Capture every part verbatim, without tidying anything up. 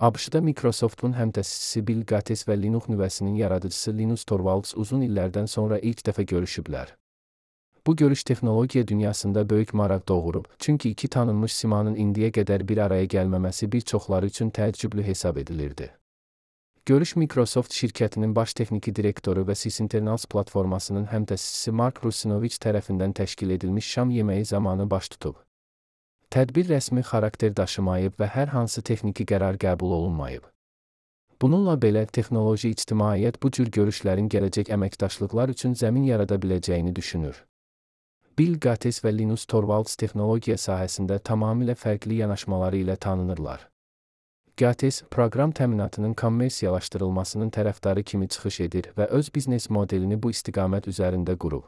ABŞ-da Microsoftun həmtəsisi Bill Gates və Linux nüvəsinin yaradıcısı Linus Torvalds uzun illərdən sonra ilk dəfə görüşüblər. Bu görüş texnologiya dünyasında böyük maraq doğurub, çünki iki tanınmış simanın indiyə qədər bir araya gəlməməsi bir çoxları üçün təəccüblü hesab edilirdi. Görüş Microsoft şirkətinin baş texniki direktoru və Sysinternals platformasının həmtəsisi Mark Russinovich tərəfindən təşkil edilmiş şam yeməyi zamanı baş tutub. Tədbir rəsmi xarakter daşımayıb və hər hansı texniki qərar qəbul olunmayıb. Bununla belə, texnoloji ictimaiyyət bu cür görüşlərin gələcək əməkdaşlıqlar üçün zəmin yarada biləcəyini düşünür. Bill Gates və Linus Torvalds texnologiya sahəsində tamamilə fərqli yanaşmaları ilə tanınırlar. Gates, proqram təminatının kommersiyalaşdırılmasının tərəfdarı kimi çıxış edir və öz biznes modelini bu istiqamət üzərində qurub.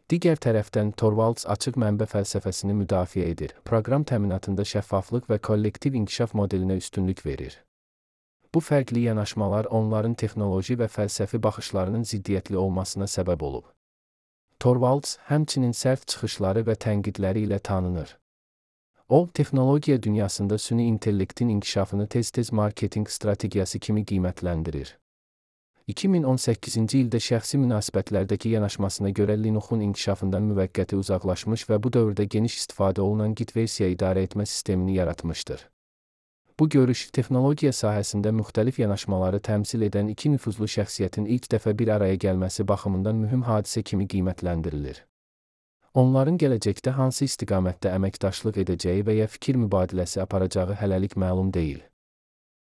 Digər tərəfdən, Torvalds açıq mənbə fəlsəfəsini müdafiə edir, proqram təminatında şəffaflıq və kollektiv inkişaf modelinə üstünlük verir. Bu fərqli yanaşmalar onların texnoloji və fəlsəfi baxışlarının ziddiyyətli olmasına səbəb olub. Torvalds həmçinin sərt çıxışları və tənqidləri ilə tanınır. O, texnologiya dünyasında süni intellektin inkişafını tez-tez marketinq strategiyası kimi qiymətləndirir. iki min on səkkizinci ildə şəxsi münasibətlərdəki yanaşmasına görə Linuxun inkişafından müvəqqəti uzaqlaşmış və bu dövrdə geniş istifadə olunan Git versiya idarə etmə sistemini yaratmışdır. Bu görüş, texnologiya sahəsində müxtəlif yanaşmaları təmsil edən iki nüfuzlu şəxsiyyətin ilk dəfə bir araya gəlməsi baxımından mühüm hadisə kimi qiymətləndirilir. Onların gələcəkdə hansı istiqamətdə əməkdaşlıq edəcəyi və ya fikir mübadiləsi aparacağı hələlik məlum deyil.